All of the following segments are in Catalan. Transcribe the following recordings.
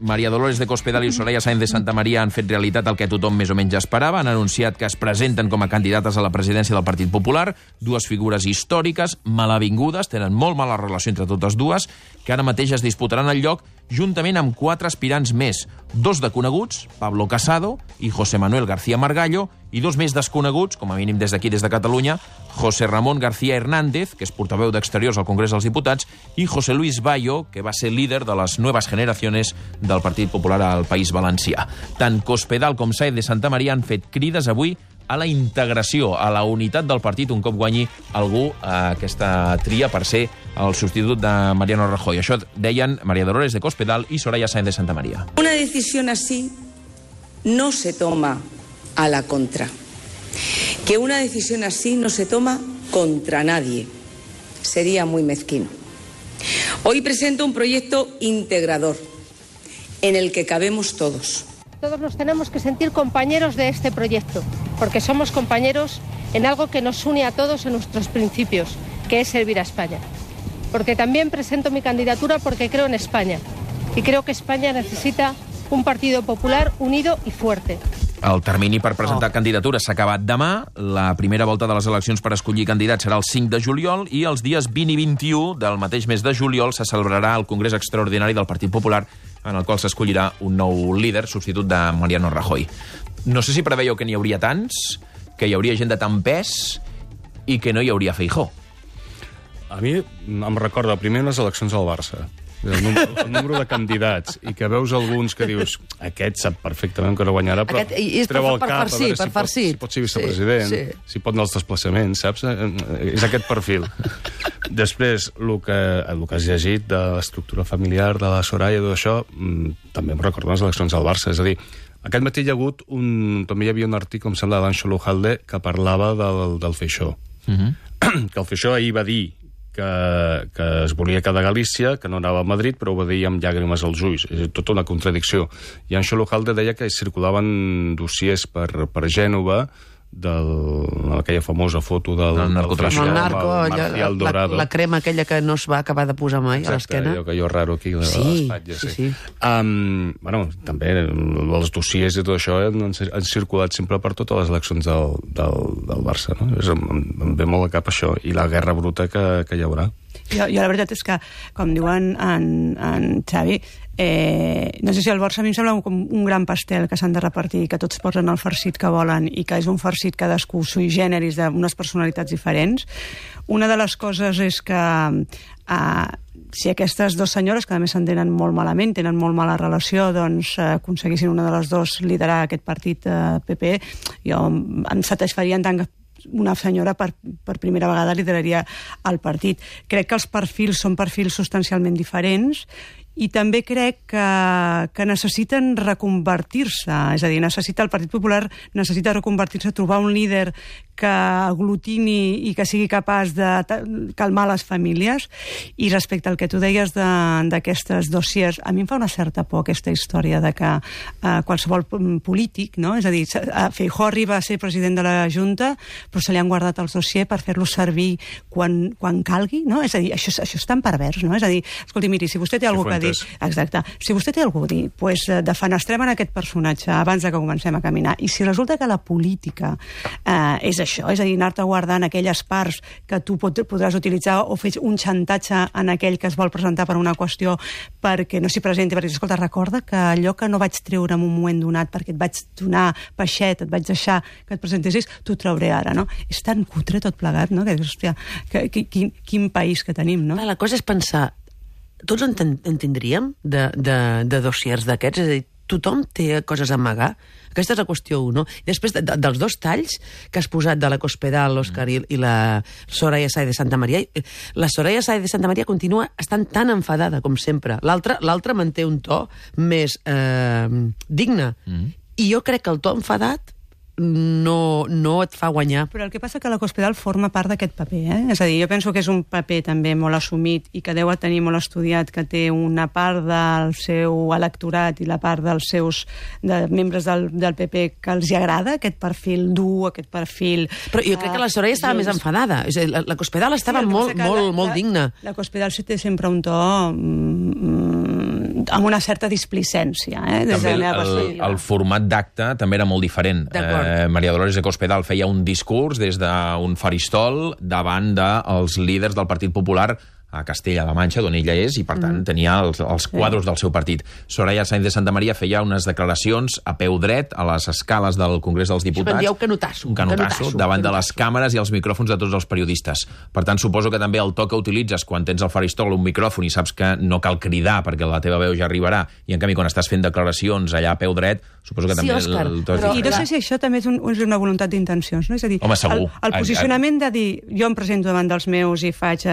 María Dolores de Cospedal i Soraya Sáenz de Santamaría han fet realitat el que tothom més o menys esperava. Han anunciat que es presenten com a candidates a la presidència del Partit Popular, dues figures històriques, malavingudes, tenen molt mala relació entre totes dues, que ara mateix es disputaran el lloc juntament amb 4 aspirants més, 2 de coneguts, Pablo Casado i José Manuel García Margallo, i 2 més desconeguts, com a mínim des d'aquí, des de Catalunya, José Ramón García Hernández, que és portaveu d'Exteriors al Congrés dels Diputats, i José Luis Bayo, que va ser líder de les noves generacions del Partit Popular al País Valencià. Tant Cospedal com Sáenz de Santamaría han fet crides avui a la integració, a la unitat del partit un cop guanyi algú a aquesta tria per ser el substitut de Mariano Rajoy. Això deien María Dolores de Cospedal y Soraya Sáenz de Santamaría. Una decisión así no se toma a la contra. Que una decisión así no se toma contra nadie. Sería muy mezquino. Hoy presento un proyecto integrador en el que cabemos todos. Todos nos tenemos que sentir compañeros de este proyecto, porque somos compañeros en algo que nos une a todos en nuestros principios, que es servir a España. Porque también presento mi candidatura porque creo en España, y creo que España necesita un Partido Popular unido y fuerte. El termini per presentar candidatures s'ha acabat demà. La primera volta de les eleccions per escollir candidats serà el 5 de juliol i els dies 20 i 21 del mateix mes de juliol se celebrarà el Congrés Extraordinari del Partit Popular, en el qual s'escollirà un nou líder, substitut de Mariano Rajoy. No sé si preveieu que n'hi hauria tants, que hi hauria gent de tant pes i que no hi hauria Feijóo. A mi em recorda primer les eleccions al Barça. El número de candidats, i que veus alguns que dius aquest sap perfectament que no guanyarà, però treu el cap a veure si pot ser vicepresident, si pot anar als desplaçaments, saps? És aquest perfil. Després, el que has llegit de l'estructura familiar de la Soraya i tot això, també em recorda les eleccions al Barça. És a dir, aquest matí també hi havia un article, em sembla, d'Anxo Lujalde, que parlava del Feijóo. Que el Feijóo ahir va dir que es volia quedar a Galícia, que no anava a Madrid, però ho va dir amb llàgrimes als ulls. És tota una contradicció. I Anxo Lujalde deia que circulaven dossiers per Gènova aquella famosa foto del narcotràfic. El narco, la crema aquella que no es va acabar de posar mai a l'esquena. Exacte, allò raro aquí de l'espatlla. Sí. També els dossiers i tot això han circulat sempre per totes les eleccions del Barça. Em ve molt a cap això, i la guerra bruta que hi haurà. Jo la veritat és que, com diuen en Xavi, no sé si el Barça a mi em sembla com un gran pastel que s'han de repartir, que tots posen el farcit que volen i que és un farcit cadascú sui generis d'unes personalitats diferents. Una de les coses és que si aquestes dues senyores, que a més s'entenen molt malament, tenen molt mala relació, doncs aconseguissin una de les dues liderar aquest partit PP, jo em satisfaria en tant que una senyora per primera vegada lideraria el partit. Crec que els perfils són perfils substancialment diferents i també crec que necessiten reconvertir-se, és a dir, el Partit Popular necessita reconvertir-se, trobar un líder que aglutini i que sigui capaç de calmar les famílies. I respecte al que tu deies d'aquestes dossiers, a mi em fa una certa por aquesta història de que qualsevol polític, no? És a dir, Feijóo arriba a ser president de la Junta, però se li han guardat els dossiers per fer-los servir quan calgui, no? És a dir, això és tan pervers, no? És a dir, escolti, miri, si vostè té alguna cosa a dir... Exacte. Si vostè té alguna cosa a dir, doncs defenestrem en aquest personatge abans que comencem a caminar. I si resulta que la política és això, és a dir, anar-te guardant aquelles parts que tu podràs utilitzar o fer un xantatge en aquell que es vol presentar per una qüestió perquè no s'hi presenti, perquè, escolta, recorda que allò que no vaig treure en un moment donat perquè et vaig donar peixet, et vaig deixar que et presentessis, t'ho trauré ara, no? És tan cutre tot plegat, no? Que, hòstia, quin país que tenim, no? La cosa és pensar, tots en tindríem de dossiers d'aquests? És a dir, tothom té coses a amagar? Aquesta és la qüestió 1. Després dels dos talls que has posat de la Cospedal, l'Òscar i la Soraya Sáenz de Santamaría, la Soraya Sáenz de Santamaría continua estant tan enfadada com sempre. L'altra manté un to més digne. I jo crec que el to enfadat no et fa guanyar. Però el que passa que la Cospedal forma part d'aquest paper, És a dir, jo penso que és un paper també molt assumit i que deu tenir molt estudiat, que té una part del seu electorat i la part dels seus membres del PP que els hi agrada, aquest perfil dur, aquest perfil... Però jo crec que la Soraya estava més enfadada. És a dir, la Cospedal estava molt digna. La Cospedal té sempre un to amb una certa displicència, des de la meva perspectiva. El format d'acte també era molt diferent. Maria Dolores de Cospedal feia un discurs des d'un faristol davant dels líders del Partit Popular a Castella-La Manxa, d'on ella és, i per tant tenia els quadros del seu partit. Soraya Sáenz de Santamaría feia unes declaracions a peu dret a les escales del Congrés dels Diputats. Això canotasso. Un canotasso davant de les càmeres i els micròfons de tots els periodistes. Per tant, suposo que també el to que utilitzes quan tens al faristol un micròfon i saps que no cal cridar perquè la teva veu ja arribarà, i en canvi quan estàs fent declaracions allà a peu dret, suposo que també Òscar, el to és diferent. I no sé si això també és una voluntat d'intencions, no? És a dir, home, segur. El posicionament de dir, jo em presento davant dels meus i faig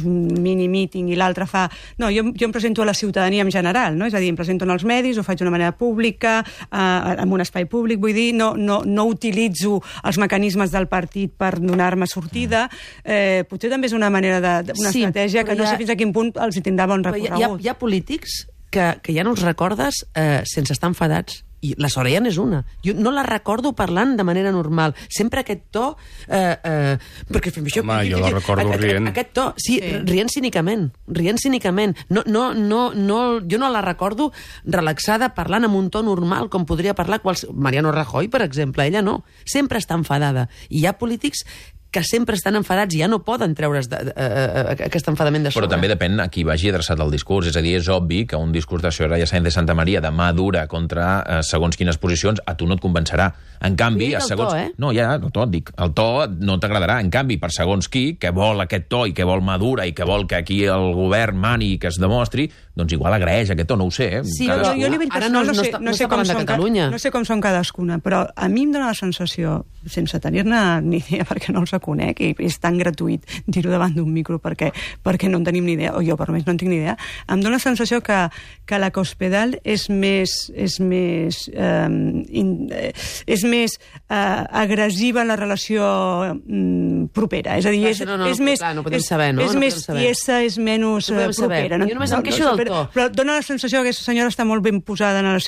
un mini-meeting i l'altre fa... No, jo em presento a la ciutadania en general, no? És a dir, em presento en els medis, ho faig d'una manera pública, en un espai públic, vull dir, no utilitzo els mecanismes del partit per donar-me sortida. Potser també és una manera una estratègia que no sé fins a quin punt els hi tindrà bon recorregut. Hi ha polítics que ja no els recordes sense estar enfadats. I la Soraya n'és una. Jo no la recordo parlant de manera normal. Sempre aquest to... perquè home, jo la recordo rient. Aquest to, sí, rient cínicament. Rient cínicament. Jo no la recordo relaxada parlant amb un to normal, com podria parlar Mariano Rajoy, per exemple. Ella no. Sempre està enfadada. I hi ha polítics que sempre estan enfadats i ja no poden treure's aquest enfadament de sobre. Però també depèn a qui vagi adreçat el discurs. És a dir, és obvi que un discurs de Soraya Sáenz de Santamaría de mà dura contra segons quines posicions a tu no et convencerà. En canvi, a segons... No, ja, el to, dic. El to no t'agradarà. En canvi, per segons qui, que vol aquest to i que vol mà dura i que vol que aquí el govern mani i que es demostri, doncs igual agraeix aquest to, no ho sé. Sí, però jo a nivell personal no sé com són cadascuna, però a mi em dóna la sensació, sense tenir-ne ni idea perquè no els conec, i és tan gratuït dir-ho davant d'un micro perquè no en tenim ni idea, o jo per més no en tinc ni idea, em dóna la sensació que la Cospedal és més agressiva en la relació propera, és a dir, és més tiesa, és menys propera. Jo només em queixo del to. Però dóna la sensació que aquesta senyora està molt ben posada en la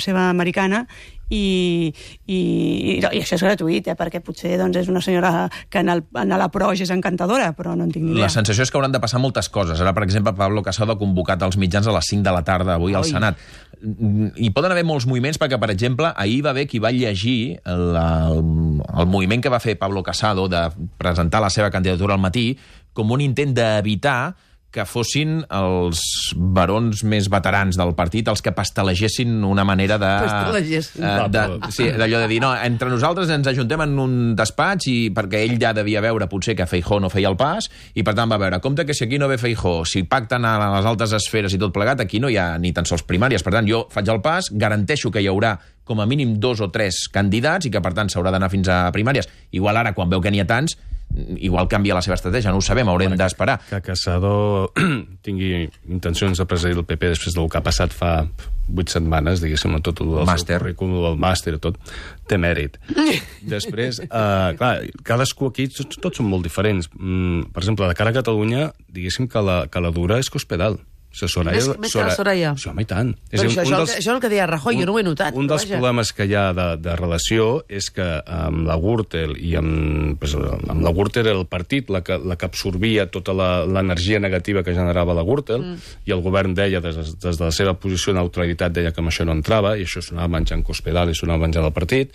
seva americana, i això és gratuït, perquè potser és una senyora que en la proja és encantadora, però no en tinc ni idea. La sensació és que hauran de passar moltes coses. Ara, per exemple, Pablo Casado ha convocat els mitjans a les 5 de la tarda avui al Senat. Hi poden haver molts moviments perquè, per exemple, ahir va haver qui va llegir el moviment que va fer Pablo Casado de presentar la seva candidatura al matí com un intent d'evitar que fossin els barons més veterans del partit els que pastelegessin una manera de... Sí, d'allò de dir, no, entre nosaltres ens ajuntem en un despatx i perquè ell ja devia veure potser que Feijóo no feia el pas i per tant va veure, compte que si aquí no ve Feijóo, si pacten a les altes esferes i tot plegat, aquí no hi ha ni tan sols primàries. Per tant, jo faig el pas, garanteixo que hi haurà com a mínim 2 o 3 candidats i que per tant s'haurà d'anar fins a primàries. Igual ara, quan veu que n'hi ha tants, igual canvia la seva estratègia, no ho sabem, haurem d'esperar. Que Casado tingui intencions de presidir el PP després del que ha passat fa 8 setmanes, diguéssim, amb tot el seu currículum, el màster i tot, té mèrit. Després, clar, cadascú aquí, tots són molt diferents. Per exemple, de cara a Catalunya, diguéssim que la dura és Cospedal. Més que la Soraya. Sí, home, i tant. Això és el que deia Rajoy, jo no ho he notat. Un dels problemes que hi ha de relació és que amb la Gürtel i amb la Gürtel era el partit la que absorbia tota l'energia negativa que generava la Gürtel, i el govern deia, des de la seva posició de neutralitat, deia que amb això no entrava, i això s'anava menjant Cospedal i s'anava menjant el partit.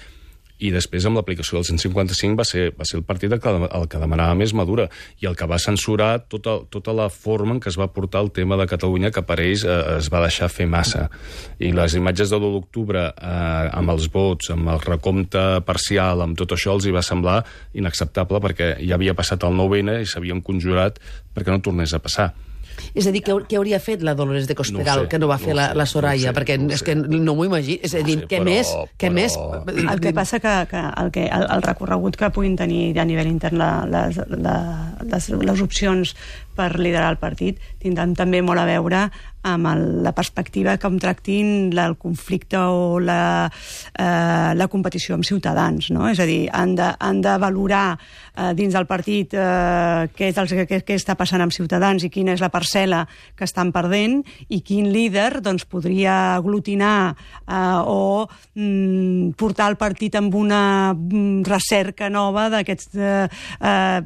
I després, amb l'aplicació del 155, va ser el partit el que demanava més Madura i el que va censurar tota la forma en què es va portar el tema de Catalunya, que per ells es va deixar fer massa. I les imatges de l'1 d'octubre, amb els vots, amb el recompte parcial, amb tot això, els hi va semblar inacceptable perquè ja havia passat el 9-N i s'havien conjurat perquè no tornés a passar. És a dir, què hauria fet la Dolores de Cospedal que no va fer la Soraya? Perquè és que no m'ho imagino. És a dir, què més? El que passa que el recorregut que puguin tenir a nivell intern les opcions per liderar el partit tindran també molt a veure amb la perspectiva com tractin el conflicte o la competició amb Ciutadans, no? És a dir, han de valorar dins del partit què està passant amb Ciutadans i quina és la parcel·la que estan perdent i quin líder doncs, podria aglutinar o portar el partit amb una recerca nova d'aquests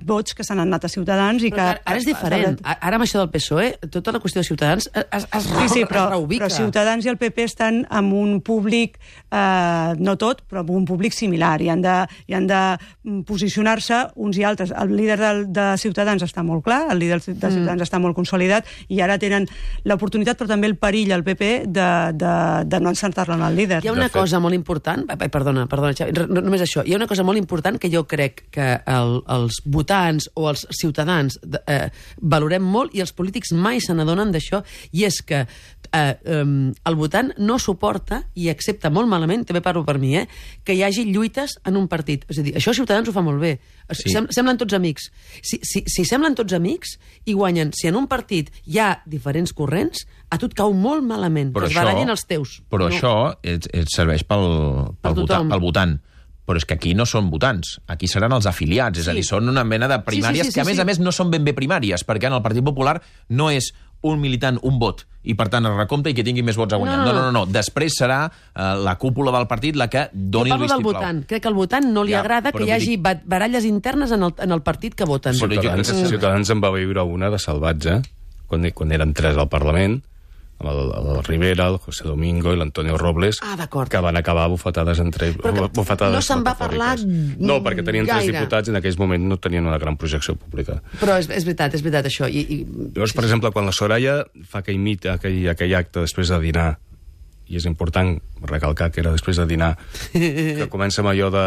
vots que s'han anat a Ciutadans. I que ara és diferent. Ara amb això del PSOE, tota la qüestió de Ciutadans però Ciutadans i el PP estan amb un públic, no tot, però amb un públic similar, i han de posicionar-se uns i altres. El líder de Ciutadans està molt clar, el líder de Ciutadans està molt consolidat, i ara tenen l'oportunitat, però també el perill al PP de no encertar-lo en el líder. Hi ha una cosa molt important, perdona, Xavi, només això, hi ha una cosa molt important que jo crec que els votants o els ciutadans valorem molt, i els polítics mai se n'adonen d'això, i és que el votant no suporta i accepta molt malament, també parlo per mi, que hi hagi lluites en un partit. És a dir, això Ciutadans ho fa molt bé. Semblen tots amics. Si semblen tots amics i guanyen, si en un partit hi ha diferents corrents, a tu et cau molt malament, que es barallin els teus. Però això et serveix pel votant. Però és que aquí no són votants, aquí seran els afiliats, és a dir, són una mena de primàries que, a més, no són ben bé primàries, perquè en el Partit Popular no és un militant, un vot, i per tant es recompta i que tingui més vots a guanyar. No. Després serà la cúpula del partit la que doni el vistiplau. Jo parlo del votant. Crec que al votant no li agrada que hi hagi baralles internes en el partit que voten. Ciutadans en va viure una de salvatge, quan eren 3 al Parlament, amb el Rivera, el José Domingo i l'Antonio Robles, que van acabar bufetades entre ells. No se'n va parlar no, perquè tenien 3 diputats i en aquells moments no tenien una gran projecció pública. Però és veritat això. Llavors, per exemple, quan la Soraya fa aquell acte després de dinar, i és important recalcar que era després de dinar, que comença amb allò de...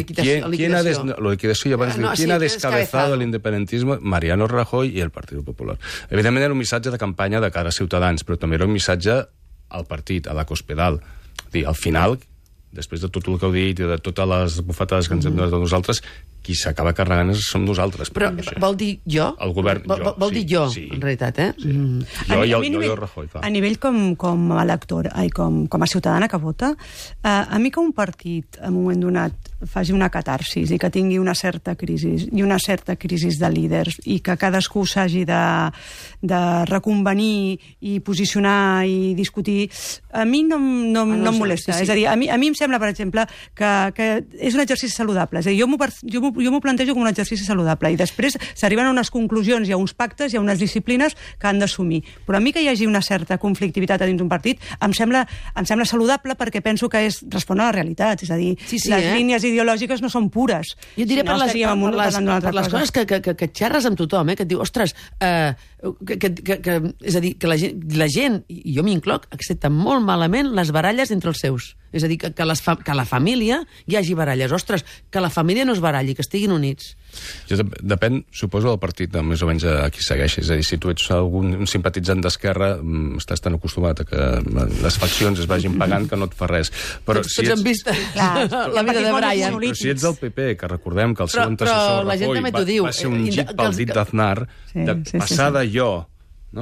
¿Quién ha descabezado el independentismo? Mariano Rajoy i el Partit Popular. Evidentment era un missatge de campanya de cara a Ciutadans, però també era un missatge al partit, a la Cospedal. Al final, després de tot el que heu dit i de totes les bufetades que ens hem donat a nosaltres, qui s'acaba carregant som nosaltres. Però vol dir jo? El govern, vol dir jo, en realitat, Jo i Rajoy. A nivell com a elector, com a ciutadana que vota, a mi que un partit, en un moment donat, faci una catarsis i que tingui una certa crisi de líders i que cadascú s'hagi de reconvenir i posicionar i discutir, a mi no em molesta. És a dir, a mi em sembla, per exemple, que és un exercici saludable. És a dir, jo m'ho plantejo com un exercici saludable i després s'arriben a unes conclusions, hi ha uns pactes, hi ha unes disciplines que han d'assumir. Però a mi que hi hagi una certa conflictivitat dins d'un partit em sembla saludable, perquè penso que respon a la realitat. És a dir, les línies ideològiques no són pures. Jo diré per les coses que xerres amb tothom, que et diu, ostres, és a dir, que la gent, i jo m'incloc, accepta molt malament les baralles entre els seus. És a dir, que a la família hi hagi baralles. Ostres, que la família no es baralli, que estiguin units. Depèn, suposo, del partit, més o menys a qui segueixis. És a dir, si tu ets un simpatitzant d'Esquerra, estàs tan acostumat a que les faccions es vagin pagant que no et fa res. Però tots hem vist la vida de Brian. Però si ets del PP, que recordem que el seu antecessor Rajoy va ser un git pel dit d'Aznar, de passar de jo,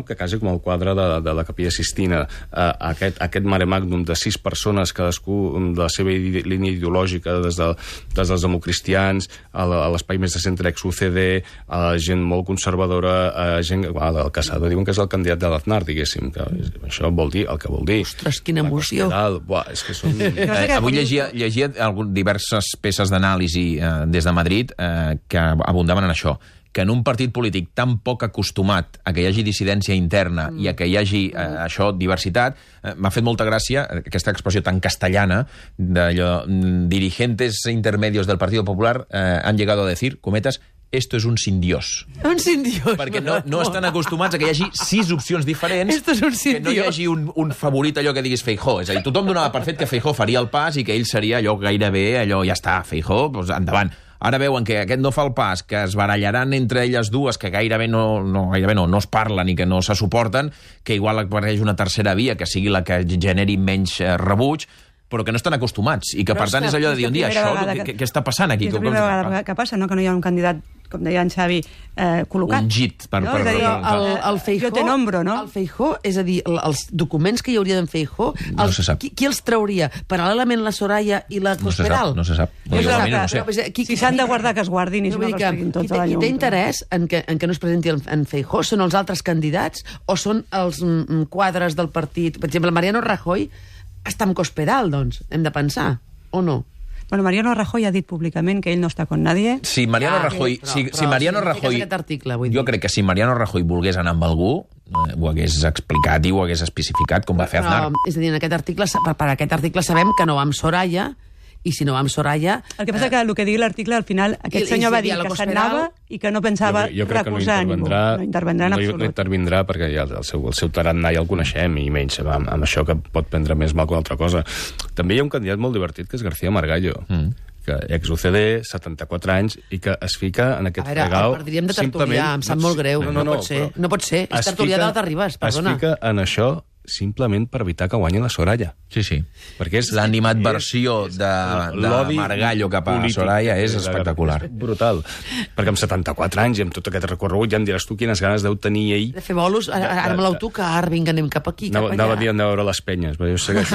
que quasi com el quadre de la Capella Sistina, aquest mare magnum de 6 persones, cadascú de la seva línia ideològica, des dels democristians, a l'espai més de centre ex-UCD, a la gent molt conservadora, a gent... El Casado diuen que és el candidat de l'Aznar, diguéssim, que això vol dir el que vol dir. Ostres, quina emoció. És que són... Avui llegia diverses peces d'anàlisi des de Madrid que abundaven en això, que en un partit polític tan poc acostumat a que hi hagi dissidència interna i a que hi hagi diversitat, m'ha fet molta gràcia aquesta expressió tan castellana d'allò, dirigentes intermedios del Partido Popular han llegado a decir, cometes, esto es un sin Dios. Un sin Dios. Perquè no estan acostumats a que hi hagi 6 opcions diferents, que no hi hagi un favorit, allò que diguis Feijóo. És a dir, tothom donava per fet que Feijóo faria el pas i que ell seria allò gairebé, ja està, Feijóo, doncs endavant. Ara veuen que aquest no fa el pas, que es barallaran entre elles dues, que gairebé no es parlen i que no se suporten, que igual apareix una tercera via, que sigui la que generi menys rebuig, però que no estan acostumats, i que per tant és allò de dir un dia, això, què està passant aquí? És la primera vegada que passa, que no hi ha un candidat, com deia en Xavi, col·locat. Un git. El Feijóo té nombro, no? El Feijóo, és a dir, els documents que hi hauria d'en Feijóo, qui els trauria? Paral·lelament la Soraya i la Cospedal? No se sap. Si s'han de guardar, que es guardin i si no que es treguin tots a la llum. Qui té interès en que no es presenti en Feijóo són els altres candidats o són els quadres del partit? Per exemple, Mariano Rajoy està amb Cospedal, doncs, hem de pensar, o no? Bueno, Mariano Rajoy ha dit públicament que ell no està con nadie. Si Mariano Rajoy... Si Mariano Rajoy... Jo crec que si Mariano Rajoy volgués anar amb algú, ho hagués explicat i ho hagués especificat, com va fer Aznar. És a dir, en aquest article, per aquest article sabem que no va amb Soraya, i si no va amb Soraya... El que passa que el que digui l'article, al final, aquest senyor va dir que se'n anava i que no pensava recusar ningú. No intervendrà en absolut. No intervindrà perquè ja el seu tarannà ja el coneixem i menys amb això que pot prendre més mal que una altra cosa. També hi ha un candidat molt divertit que és García Margallo, que ex-UCD, 74 anys, i que es fica en aquest fregau... A veure, perdríem de tertulià, em sap molt greu. No pot ser. És tertulià d'Alta Ribas, perdona. Es fica en això simplement per evitar que guanyi la Soraya. Sí. Perquè és l'animadversió de Margallo cap a Soraya és espectacular. És brutal. Perquè amb 74 anys i amb tot aquest recorregut ja em diràs tu quines ganes deu tenir ell... De fer bolos, ara amb l'autocar, vinga, anem cap aquí, cap allà. Anava a dir anar a veure les penyes, però jo sé que...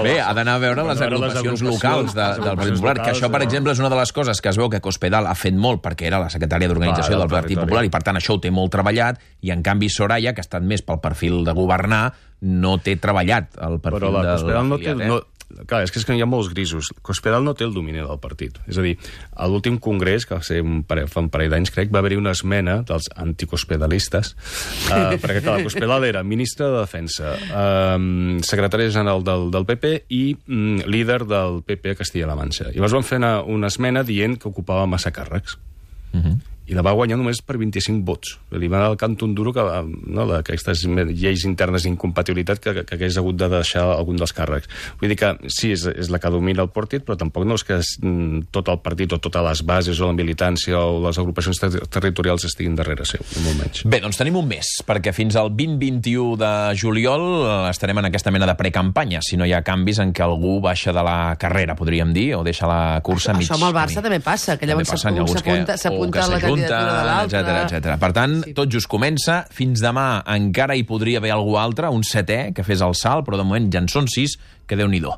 Bé, ha d'anar a veure les agrupacions locals del Partit Popular, que això, per exemple, és una de les coses que es veu que Cospedal ha fet molt perquè era la secretària d'organització del Partit Popular i, per tant, això ho té molt treballat, i, en canvi, Soraya, que ha estat més pel perfil de governar, no té treballat el perfil però la Cospedal no té... No... Clar, és que hi ha molts grisos. Cospedal no té el domini del partit. És a dir, a l'últim congrés, que va ser fa un parell d'anys, crec, va haver-hi una esmena dels anticospedalistes, perquè, clar, Cospedal era ministre de Defensa, secretari general del PP i líder del PP a Castilla-La Manxa. I llavors van fer una esmena dient que ocupava massa càrrecs. I la va guanyar només per 25 vots. Li va anar al cant un duro d'aquestes lleis internes d'incompatibilitat que hagués hagut de deixar algun dels càrrecs. Vull dir que sí, és la que domina el partit, però tampoc no és que tot el partit o totes les bases o la militància o les agrupacions territorials estiguin darrere seu, molt menys. Bé, doncs tenim un mes, perquè fins al 20-21 de juliol estarem en aquesta mena de precampanya, si no hi ha canvis en què algú baixa de la carrera, podríem dir, o deixa la cursa mig. Això amb el Barça també passa, que llavors s'apunta a la etc. Per tant, tot just comença. Fins demà encara hi podria haver algú altre, un setè, que fes el salt, però de moment ja en són 6, que Déu-n'hi-do.